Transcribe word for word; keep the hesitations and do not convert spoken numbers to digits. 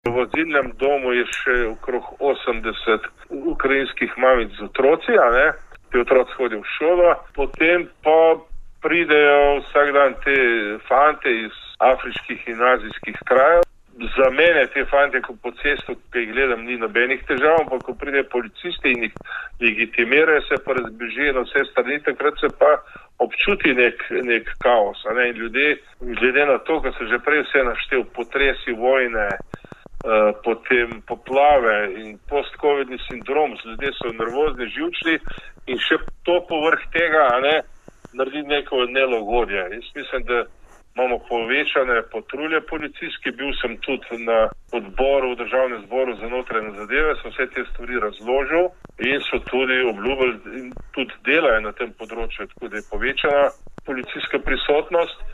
V azilnem domu je še okrog osemdeset ukrajinskih mamic z otroci, a ne? Ti otroci hodijo v šolo, potem pa pridejo vsak dan te fante iz afriških in azijskih krajev. Za mene te fante, ko po cestu, ki jih gledam, ni nobenih težav, ampak ko pride policisti in jih legitimirajo, se pa razbežijo na vse strani, takrat se pa občuti nek, nek kaos. A ne? In ljudje, glede na to, ko se že prej vse naštel, potresi, vojne, Uh, potem poplave in post-covidni sindrom, ljudje so nervozni, živčni in še to povrh tega, a ne, naredi neko nelagodje. Jaz mislim, da imamo povečane patrulje policijske, bil sem tudi na odboru v Državnem zboru za notranje zadeve, sem vse te stvari razložil in so tudi obljubili in tudi delajo na tem področju, tako da je povečana policijska prisotnost.